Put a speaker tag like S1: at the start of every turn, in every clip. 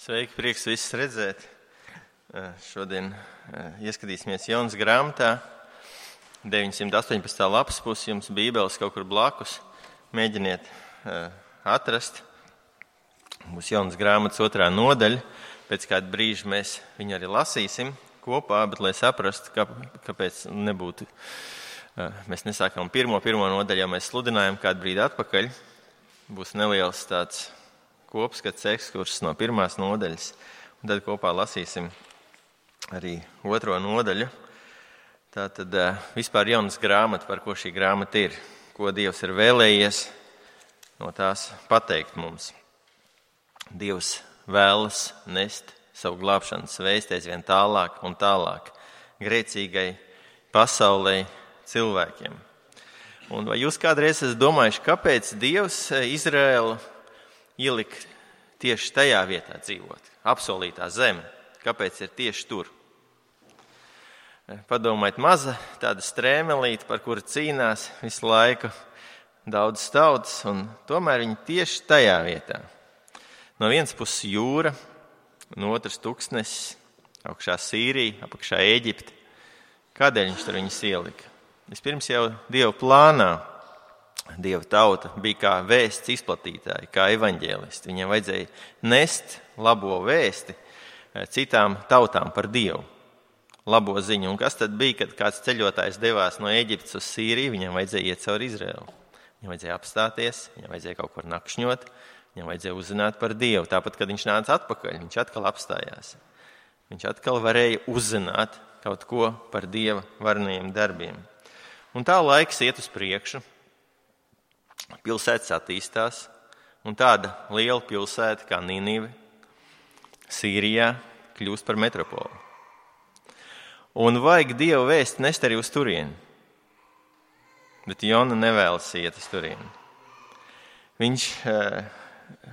S1: Sveiki, prieks visus redzēt. Šodien ieskatīsimies Jonas grāmatā, 918. lapas pusi, jums bībeles kaut kur blakus. Mēģiniet atrast. Būs Jonas grāmatas 2. nodaļa. Pēc kāda brīža mēs viņu arī lasīsim kopā, bet lai saprastu, kāpēc nebūtu. Mēs nesākam pirmo nodaļu, jau mēs sludinājām kādu brīdi atpakaļ. Būs neliels tāds kopskats ekskurss no 1. nodaļas, un tad kopā lasīsim arī 2. nodaļu. Tātad vispār Jonas grāmata, par ko šī grāmata ir, ko Dievs ir vēlējies no tās pateikt mums. Dievs vēlas nest savu glābšanas vēsti aizvien tālāk un tālāk grēcīgai pasaulei, cilvēkiem. Un vai jūs kādreiz esat domājuši, kāpēc Dievs Izraēlu ielika tieši tajā vietā dzīvot, apsolītā zeme? Kāpēc ir tieši tur? Padomājiet, maza tāda strēmelīte, par kuru cīnās visu laiku daudz tautas, un tomēr viņi tieši tajā vietā. No vienas puses jūra, no otras tuksnesis, augšā Sīrija, apakšā Ēģipte. Kādēļ viņš tur viņus ielika? Vispirms jau Dieva plānā. Dieva tauta bija kā vēsts izplatītāji, kā evaņģēlisti. Viņiem vajadzēja nest labo vēsti citām tautām par Dievu. Labo ziņu. Un kas tad bija, kad kāds ceļotājs devās no Ēģiptes uz Sīriju? Viņam vajadzēja iet cauri Izraēlu. Viņam vajadzēja apstāties, viņam vajadzēja kaut kur nakšņot, viņam vajadzēja uzzināt par Dievu. Tāpat, kad viņš nāca atpakaļ, viņš atkal apstājās. Viņš atkal varēja uzzināt kaut ko par Dieva varenajiem darbiem. Un tā laiks iet uz priekšu. Pilsētas attīstās, un tāda liela pilsēta kā Ninive Sīrijā kļūst par metropolu. Un vajag Dieva vēsti nest arī uz turieni. Bet Jona nevēlas iet uz turieni. Viņš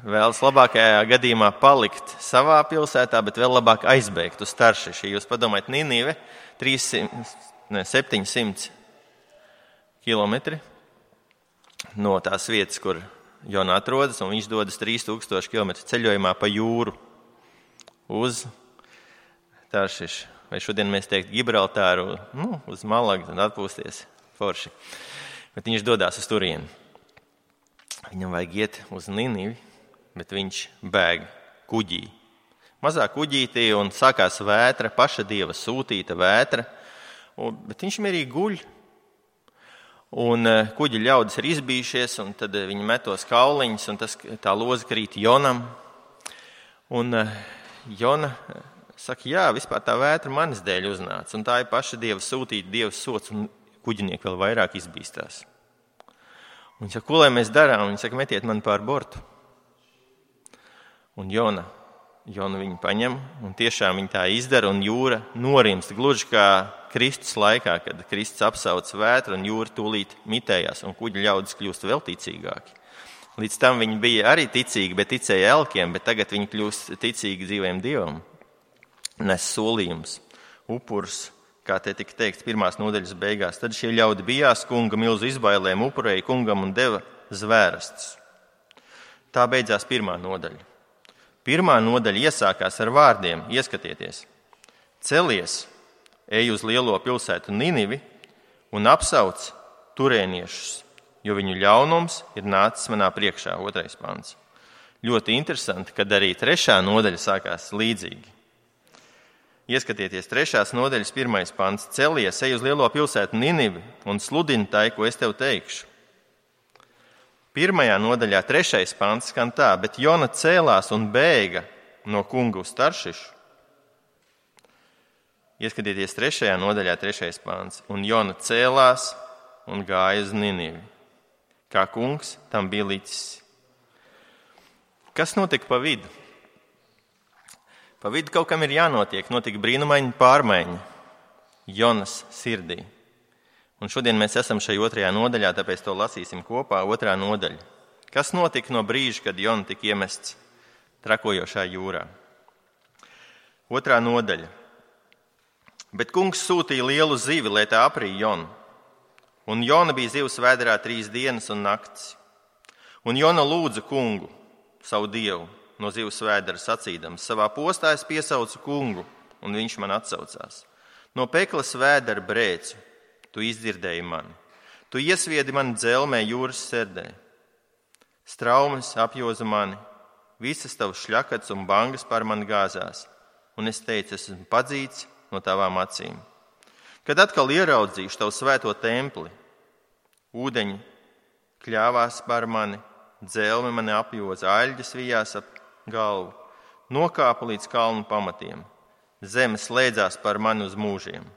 S1: vēlas labākajā gadījumā palikt savā pilsētā, bet vēl labāk aizbēgt uz Taršišu. Ja jūs padomājat, Ninive 700 kilometri no tās vietas, kur Jona atrodas, un viņš dodas 3000 km ceļojumā pa jūru uz Taršišu. Vai šodien mēs teiktu Gibraltāru, uz Malagu, tad atpūsties forši. Bet viņš dodās uz turieni. Viņam vajag iet uz Ninivi, bet viņš bēg kuģī. Mazā kuģītī, un sākās vētra, paša Dieva sūtīta vētra, bet viņš mierīgi guļ. Un kuģi ļaudis ir izbījušies, un tad viņi metos kauliņus, un tā loza krīt Jonam. Un Jona saka, jā, vispār tā vētra manis dēļ uznāca, un tā ir paša Dieva sūtīta, Dieva sots, un kuģinieki vēl vairāk izbīstās. Un viņš saka, ko lai mēs darām? Viņi saka, metiet mani pār bortu. Un Jona viņu paņem, un tiešām viņi tā izdara, un jūra norimst, gluži kā Kristus laikā, kad Kristus apsauc vētru, un jūra tūlīt mitējās, un kuģi ļaudis kļūst vēl ticīgāki. Līdz tam viņi bija arī ticīgi, bet ticēja elkiem, bet tagad viņi kļūst ticīgi dzīvajam Dievam. Nes solījums, upurs, kā te tika teikts 1. nodaļas beigās. Tad šie ļaudi bijās kunga milzu izbailēm, upurēja kungam un deva zvērastus. Tā beidzās 1. nodaļa. 1. nodaļa iesākās ar vārdiem, ieskatieties. Celies, ej uz lielo pilsētu Ninivi un apsauc turēniešus, jo viņu ļaunums ir nācis manā priekšā, 2. pants. Ļoti interesanti, kad arī 3. nodaļa sākās līdzīgi. Ieskatieties 3. nodaļas 1. pants. Celies, ej uz lielo pilsētu Ninivi un sludini tai, ko es tev teikšu. 1. nodaļā 3. pants skan tā, bet Jona cēlās un bēga no kunga uz Taršišu. Ieskatieties 3. nodaļā 3. pants. Un Jona cēlās un gāja uz Ninivi. Kā kungs tam bija licis. Kas notika pa vidu? Pa vidu kaut kam ir jānotiek. Notika brīnumaina pārmaiņa Jonas sirdī. Un šodien mēs esam šai 2. nodaļā, tāpēc to lasīsim kopā, 2. nodaļa. Kas notika no brīža, kad Jona tika iemests trakojošā jūrā? 2. nodaļa. Bet kungs sūtīja lielu zivi, lai tā aprīja Jonu. Un Jona bija zivs vēderā 3 dienas un naktis. Un Jona lūdza kungu, savu Dievu, no zivs vēdera sacīdams: savā postā es piesaucu kungu, un viņš man atsaucās. No peklas vēdera brēcu tu izdzirdēji mani. Tu iesviedi mani dzelmē jūras serdē. Straumes apjoza mani, visas tavas šļakats un bangas par mani gāzās, un es teicu, es esmu padzīts no tavām acīm. Kad atkal ieraudzīšu tavu svēto templi, ūdeņi kļāvās par mani, dzelme mani apjoza, aļģes vijās ap galvu, nokāpa līdz kalnu pamatiem, zeme slēdzās par mani uz mūžiem.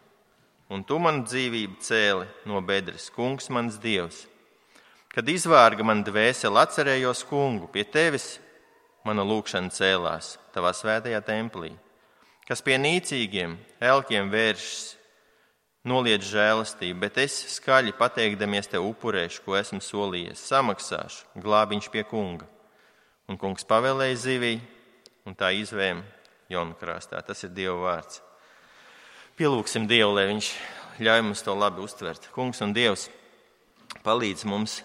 S1: Un tu manu dzīvību cēli no bedres, kungs mans dievs. Kad izvārga man dvēseli, atcerējos kungu, pie tevis mana lūkšana cēlās tavā svētajā templī, kas pie nīcīgiem elkiem vēršas, noliedz žēlastību, bet es skaļi pateikdamies tev upurēšu, ko esmu solījies, samaksāšu, glābiņš pie kunga. Un kungs pavēlēja zivī, un tā izvēma Jona krastā. Tas ir Dieva vārds. Pielūksim Dievu, lai viņš ļauj mums to labi uztvert. Kungs un Dievs palīdz mums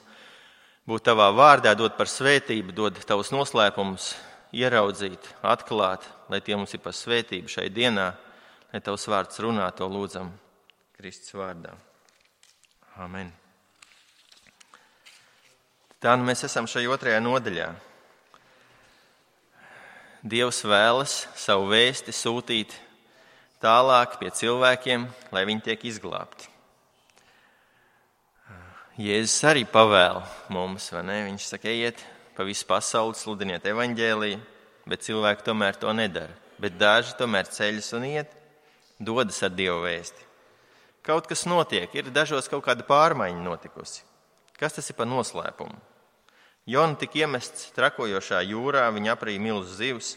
S1: būt tavā vārdā, dod par svētību, dod tavus noslēpumus, ieraudzīt, atklāt, lai tie mums ir par svētību šai dienā, lai tavs vārds runā, to lūdzam Kristus vārdā. Amen. Tā nu mēs esam šajā 2. nodaļā. Dievs vēlas savu vēsti sūtīt tālāk pie cilvēkiem, lai viņi tiek izglābti. Jēzus arī pavēl mums, vai ne? Viņš saka, ejiet pa visu pasauli, sludiniet evaņģēliju, bet cilvēki tomēr to nedara. Bet daži tomēr ceļas un iet, dodas ar Dievu vēsti. Kaut kas notiek, ir dažos kaut kāda pārmaiņa notikusi. Kas tas ir par noslēpumu? Jona tika iemests trakojošā jūrā, viņa aprīja milzu zivs.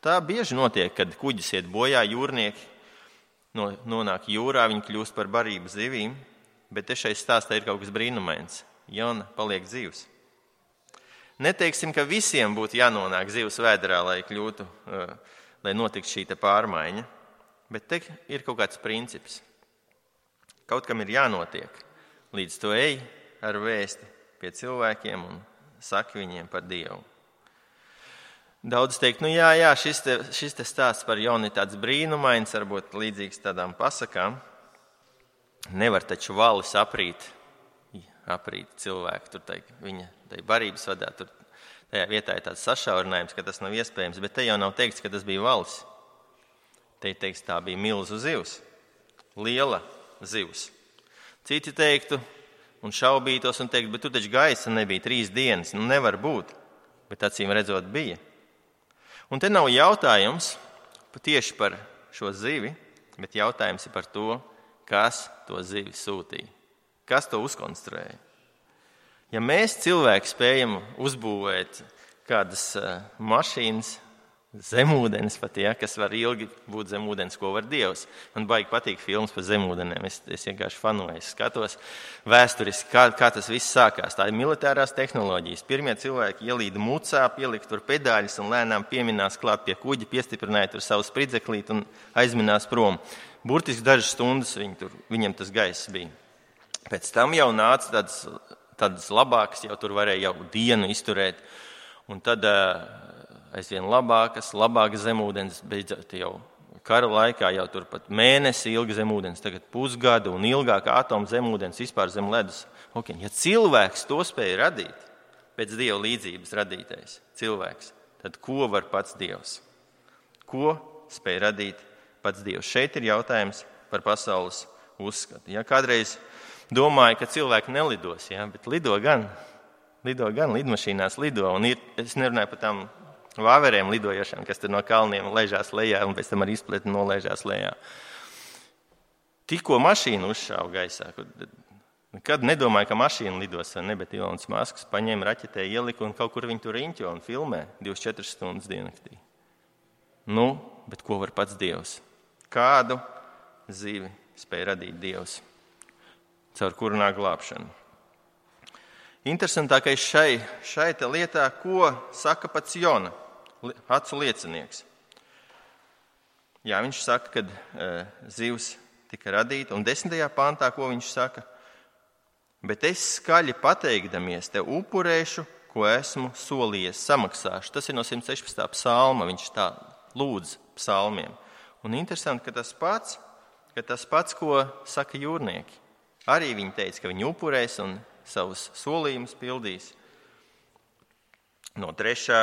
S1: Tā bieži notiek, kad kuģis iet bojā, jūrnieki nonāk jūrā, viņi kļūst par barību zivīm, bet te šai stāstā ir kaut kas brīnumains. Jona paliek zivs. Neteiksim, ka visiem būtu jānonāk zivs vēderā, lai notiktu šī pārmaiņa, bet te ir kaut kāds princips. Kaut kam ir jānotiek, līdz to ej ar vēsti pie cilvēkiem un saki viņiem par Dievu. Daudz teikt, šis te stāsts par Jonu ir tāds brīnumains, varbūt līdzīgs tādām pasakām. Nevar taču valis aprīt cilvēku, tur viņa barības vadā, tur tajā vietā ir tāds sašaurinājums, ka tas nav iespējams, bet te jau nav teikts, ka tas bija valis. Te teiks, tā bija milzu zivs, liela zivs. Citi teiktu un šaubītos un teiktu, bet tu taču gaisa nebija 3 dienas, nevar būt, bet acīm redzot bija. Un te nav jautājums tieši par šo zivi, bet jautājums ir par to, kas to zivi sūtīja, kas to uzkonstruēja. Ja mēs cilvēki spējam uzbūvēt kādas mašīnas, zemūdens pat, kas var ilgi būt zemūdens, ko var Dievs. Man baigi patīk filmas par zemūdenēm, es vienkārši fanoju, skatos vēsturiski, kā tas viss sākās. Tā ir militārās tehnoloģijas. Pirmie cilvēki ielīda mucā, pielika tur pedāļus un lēnām pieminās klāt pie kuģa, piestiprināja tur savu spridzeklīti un aizminās prom. Burtiski dažas stundas viņam tas gaiss bija. Pēc tam jau nāca tādas labākas, jau tur varēja jau dienu izturēt. Un tad aizvien labākas zemūdens, beidzot jau kara laikā, jau tur pat mēnesi ilga zemūdens, tagad pusgadu un ilgāka atoma zemūdens vispār zem ledus. Okay. Ja cilvēks to spēja radīt, pēc Dieva līdzības radītais cilvēks, tad ko var pats Dievs? Ko spēja radīt pats Dievs? Šeit ir jautājums par pasaules uzskatu. Ja kādreiz domāju, ka cilvēki nelidos, bet lido gan, lidmašīnās lido, un es nerunāju par tām vāveriem lidojošām, kas tur no kalniem laižās lejā un pēc tam ar izpletni nolaižās lejā. Tikko mašīna uzšāva gaisā, nekad nedomāju, ka mašīna lidos, vai ne, bet Ilons Masks paņēma raķetē, ielika un kaut kur viņi tur riņķo un filmē 24 stundas diennaktī. Bet ko var pats Dievs? Kādu zivi spēja radīt Dievs, caur kuru nāk glābšana? Interesantākais šai te lietā, ko saka pats Jona, acu liecinieks. Viņš saka, kad zivs tika radīta, un 10. pantā, ko viņš saka? Bet es skaļi pateikdamies tev upurēšu, ko esmu solījies, samaksāšu. Tas ir no 116. psalma, viņš tā lūdz psalmiem. Un interesanti, ka tas pats, ko saka jūrnieki. Arī viņi teica, ka viņi upurēs un savus solījumus pildīs. No 3.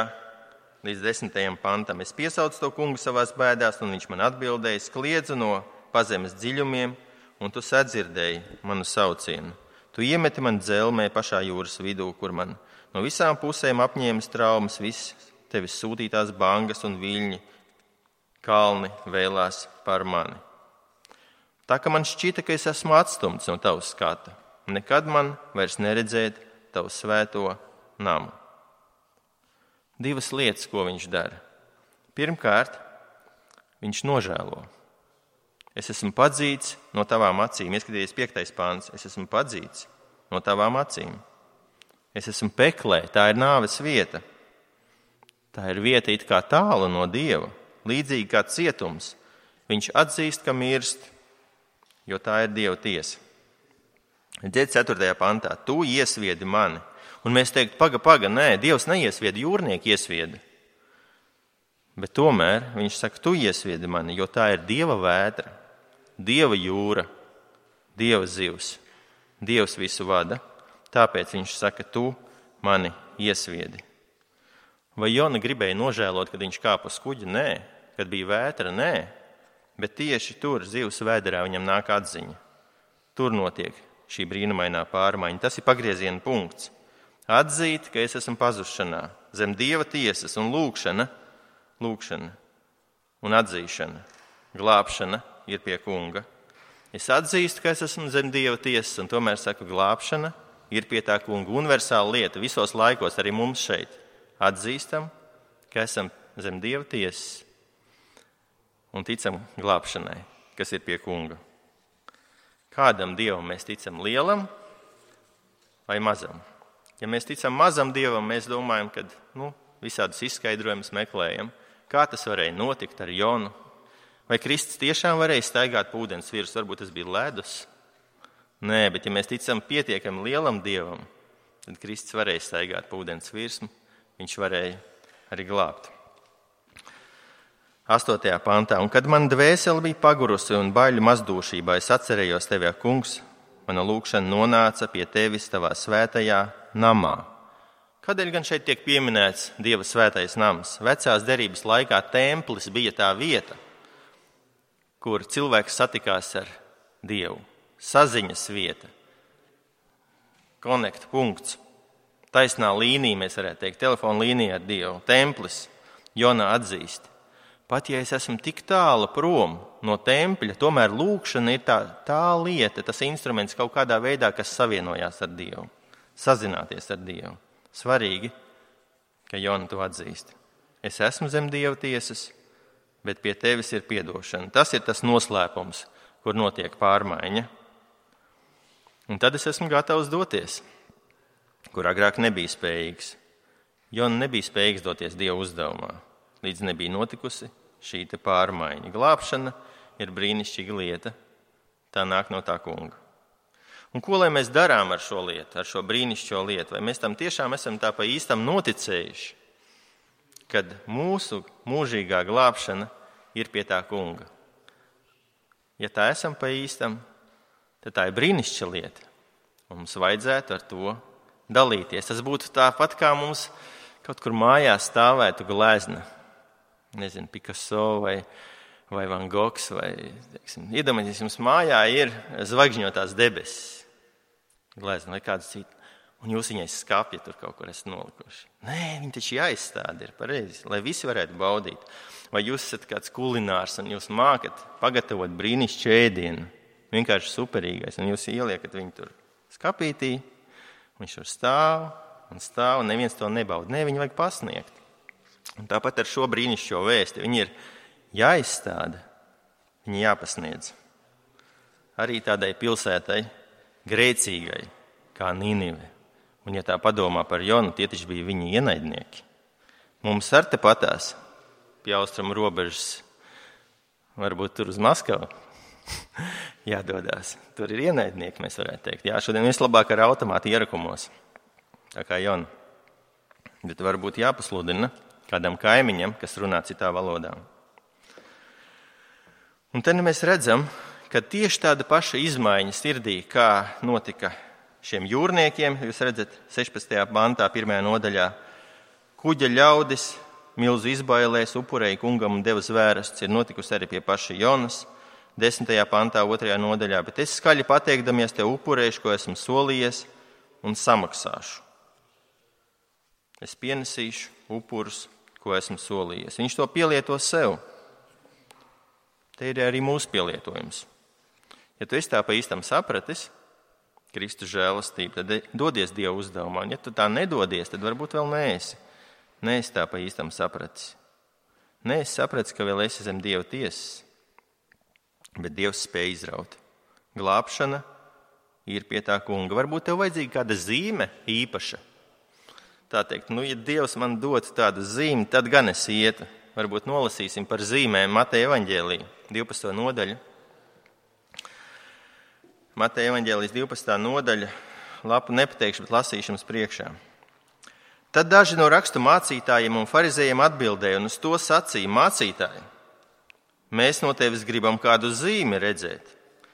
S1: līdz 10. pantam. Es piesaucu to kungu savās bēdās, un viņš man atbildēja, kliedzu no pazemes dziļumiem, un tu sadzirdēji manu saucienu. Tu iemeti man dzelmē pašā jūras vidū, kur man no visām pusēm apņēmas traumas, viss tevis sūtītās bangas un viļņi, kalni vēlās par mani. Tā ka man šķita, ka es esmu atstumts no tavas skata, nekad man vairs neredzēt tavu svēto namu. 2 lietas, ko viņš dara. Pirmkārt, viņš nožēlo. Es esmu padzīts no tavām acīm. Ieskaties 5. pāns. Es esmu padzīts no tavām acīm. Es esmu peklē. Tā ir nāves vieta. Tā ir vieta it kā tālu no Dieva, līdzīgi kā cietums. Viņš atzīst, ka mirst, jo tā ir Dieva tiesa. Dzēd 4. pantā. Tu iesviedi mani. Un mēs teikt, paga, nē, Dievs neiesvieda, jūrnieki iesvieda. Bet tomēr viņš saka, tu iesviedi mani, jo tā ir Dieva vētra, Dieva jūra, Dieva zivs. Dievs visu vada, tāpēc viņš saka, tu mani iesviedi. Vai Jona gribēja nožēlot, kad viņš kāpa uz kuģa? Nē. Kad bija vētra? Nē. Bet tieši tur, zivs vēderā, viņam nāk atziņa. Tur notiek šī brīnumainā pārmaiņa. Tas ir pagrieziena punkts. Atzīt, ka es esmu pazušanā, zem Dieva tiesas un lūkšana un atzīšana, glābšana ir pie kunga. Es atzīstu, ka es esmu zem Dieva tiesas, un tomēr saku, glābšana ir pie tā kunga. Universāla lieta visos laikos, arī mums šeit. Atzīstam, ka esam zem Dieva tiesas un ticam glābšanai, kas ir pie kunga. Kādam Dievam mēs ticam, lielam vai mazam? Ja mēs ticam mazam Dievam, mēs domājam, ka visādus izskaidrojumus meklējam. Kā tas varēja notikt ar Jonu? Vai Kristus tiešām varēja staigāt pa ūdens virsmu? Varbūt tas bija ledus. Nē, bet ja mēs ticam pietiekami lielam Dievam, tad Kristus varēja staigāt pa ūdens virsmu. Viņš varēja arī glābt. 8. pantā. Un kad man dvēsele bija pagurusi un baļu mazdūšībā, es atcerējos tevi, kungs, mana lūkšana nonāca pie tevis tavā svētajā namā. Kādēļ gan šeit tiek pieminēts Dieva svētais nams? Vecās derības laikā templis bija tā vieta, kur cilvēks satikās ar Dievu. Saziņas vieta, konekta punkts, taisnā līnija, mēs varētu teikt, telefona līnija ar Dievu. Templis, Jona atzīst. Pat ja es esmu tik tālu prom no tempļa, tomēr lūkšana ir tā lieta, tas instruments kaut kādā veidā, kas savienojās ar Dievu, sazināties ar Dievu. Svarīgi, ka Jona to atzīst. Es esmu zem Dieva tiesas, bet pie tevis ir piedošana. Tas ir tas noslēpums, kur notiek pārmaiņa. Un tad es esmu gatavs doties, kur agrāk nebija spējīgs. Jona nebija spējīgs doties Dieva uzdevumā, līdz nebija notikusi šī te pārmaiņa. Glābšana ir brīnišķīga lieta, tā nāk no tā kunga. Un ko lai mēs darām ar šo lietu, ar šo brīnišķīgo lietu? Vai mēs tam tiešām esam tā pa īstam noticējuši, kad mūsu mūžīgā glābšana ir pie tā kunga? Ja tā esam pa īstam, tad tā ir brīnišķīga lieta. Mums vajadzētu ar to dalīties. Tas būtu tāpat, kā mums kaut kur mājās stāvētu glezna. Nezinu, Picasso vai Van Gogs. Iedomājieties, jums mājā ir zvaigžņotās debesis. Glezna vai kāds cits. Un jūs viņai skapja tur kaut kur esat nolikuši. Nē, viņi taču jāizstāda ir pareizi, lai visi varētu baudīt. Vai jūs esat kāds kulinārs un jūs mākat pagatavot brīnišķīgu ēdienu, vienkārši superīgais, un jūs ieliekat viņu tur skapītī, viņš tur stāv, un neviens to nebauda. Nē, viņu vajag pasniegt. Un tāpat ar šo brīnišķīgo vēsti. Viņi ir jāizstāda, viņi jāpasniedz. Arī tādai pilsētai, grēcīgai, kā Nīnive. Un ja tā padomā par Jonu, tie taču bija viņa ienaidnieki. Mums ar te patās pie austrumu robežas, varbūt tur uz Maskavu, jādodās. Tur ir ienaidnieki, mēs varētu teikt. Jā, šodien vislabāk ar automātu ierakumos, tā kā Jona. Bet varbūt jāpasludina kādam kaimiņam, kas runā citā valodā. Un te mēs redzam, ka tieši tāda paša izmaiņa sirdī, kā notika šiem jūrniekiem, jūs redzat 16. pantā, 1. nodaļā, kuģa ļaudis milzu izbailēs upurēja kungam un deva zvērestus, ir notikusi arī pie paša Jonas, 10. pantā, 2. nodaļā, bet es skaļi pateikdamies tev upurēšu, ko esmu solījies, un samaksāšu. Es pienesīšu upurus, ko esmu solījies. Viņš to pielieto sev. Te ir arī mūsu pielietojums. Ja tu esi tā pa īstam sapratis, Kristus žēlastība, tad dodies Dieva uzdevumā. Un ja tu tā nedodies, tad varbūt vēl neesi. Neesi tā pa īstam sapratis. Neesi sapratis, ka vēl esi zem Dieva tiesas. Bet Dievs spēj izraut. Glābšana ir pie tā kunga. Varbūt tev vajadzīga kāda zīme īpaša. Tā teikt, ja Dievs man dotu tādu zīmi, tad gan es ietu. Varbūt nolasīsim par zīmēm Mateja evaņģēlija, 12. nodaļu. Mateja evaņģēlijas 12. nodaļa, lapu nepateikšu, bet lasīšu jums priekšā. Tad daži no rakstu mācītājiem un farizējiem atbildēja un uz to sacīja: mācītāji, mēs no tevis gribam kādu zīmi redzēt.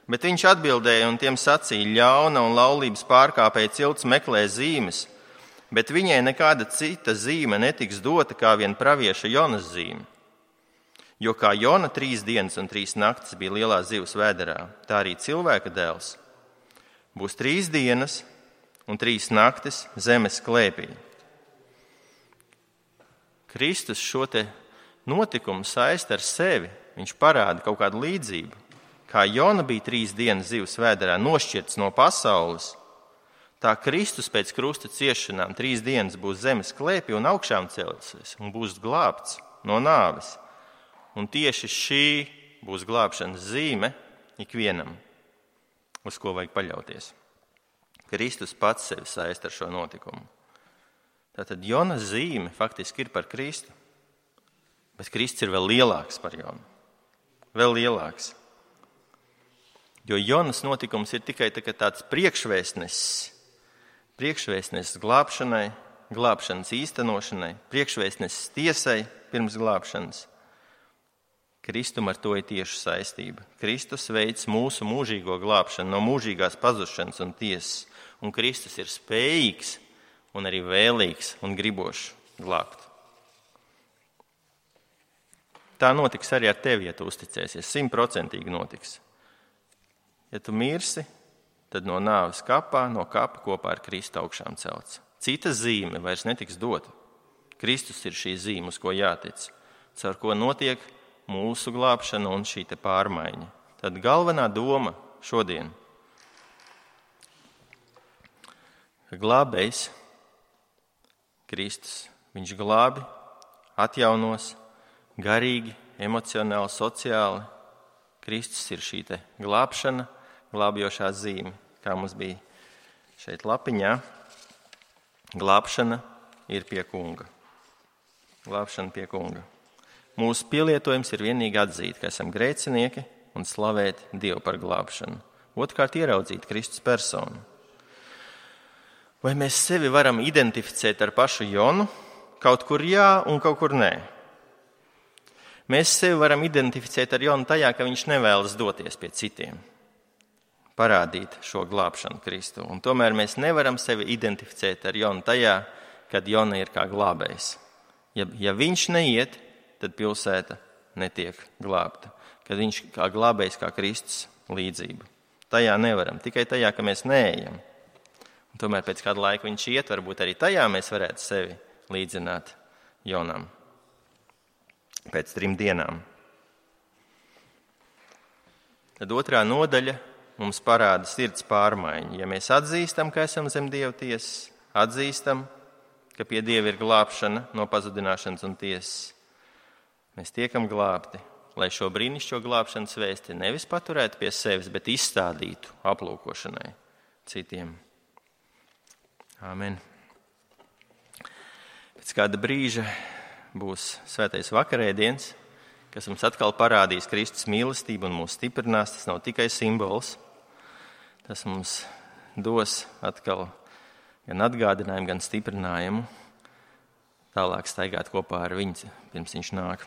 S1: Bet viņš atbildēja un tiem sacīja: ļauna un laulības pārkāpēja cilts meklē zīmes, bet viņai nekāda cita zīme netiks dota kā vien pravieša Jonas zīme. Jo kā Jona 3 dienas un 3 naktis bija lielā zivs vēderā, tā arī cilvēka dēls būs 3 dienas un 3 naktis zemes klēpī. Kristus šo te notikumu saista ar sevi. Viņš parāda kaut kādu līdzību. Kā Jona bija 3 dienas zivs vēderā nošķirts no pasaules, tā Kristus pēc krusta ciešanām 3 dienas būs zemes klēpī un augšām celsies un būs glābts no nāves. Un tieši šī būs glābšanas zīme ikvienam, uz ko vajag paļauties. Kristus pats sevi saista ar šo notikumu. Tātad Jonas zīme faktiski ir par Kristu, bet Kristus ir vēl lielāks par Jonu. Vēl lielāks. Jo Jonas notikums ir tikai tāds priekšvēstnesis glābšanai, glābšanas īstenošanai, priekšvēstnesis tiesai pirms glābšanas. Kristum ar to ir tieši saistība. Kristus veids mūsu mūžīgo glābšanu no mūžīgās pazušanas un tiesas, un Kristus ir spējīgs un arī vēlīgs un gribošs glābt. Tā notiks arī ar tevi, ja tu uzticēsies. 100% notiks. Ja tu mirsi, tad no nāves kapā, no kapa kopā ar Kristu augšām celts. Cita zīme vairs netiks dota. Kristus ir šī zīme, uz ko jātic, caur ko notiek mūsu glābšana un šī te pārmaiņa. Tad galvenā doma šodien, ka glābējs Kristus, viņš glābi, atjaunos, garīgi, emocionāli, sociāli. Kristus ir šī te glābšana, glābjošā zīme, kā mums bija šeit lapiņā. Glābšana ir pie kunga. Glābšana pie kunga. Mūsu pielietojums ir vienīgi atzīt, ka esam grēcinieki un slavēt Dievu par glābšanu. Otrkārt, ieraudzīt Kristus personu. Vai mēs sevi varam identificēt ar pašu Jonu? Kaut kur jā un kaut kur nē. Mēs sevi varam identificēt ar Jonu tajā, ka viņš nevēlas doties pie citiem, parādīt šo glābšanu Kristu. Un tomēr mēs nevaram sevi identificēt ar Jonu tajā, kad Jona ir kā glābējs. Ja viņš neiet, tad pilsēta netiek glābta. Kad viņš kā glābējs, kā Kristus līdzība. Tajā nevaram, tikai tajā, ka mēs neejam. Un tomēr pēc kāda laika viņš iet, varbūt arī tajā mēs varētu sevi līdzināt Jonam. Pēc 3 dienām. Tad 2. nodaļa mums parāda sirds pārmaiņu. Ja mēs atzīstam, ka esam zem Dieva tiesas, atzīstam, ka pie Dieva ir glābšana no pazudināšanas un tiesas, mēs tiekam glābti, lai šo brīnišķo glābšanas vēsti nevis paturētu pie sevis, bet izstādītu aplūkošanai citiem. Āmen. Pēc kāda brīža būs svētais vakarēdiens, kas mums atkal parādīs Kristus mīlestību un mūs stiprinās. Tas nav tikai simbols. Tas mums dos atkal gan atgādinājumu, gan stiprinājumu. tālāk staigāt kopā ar viņu, pirms viņš nāk.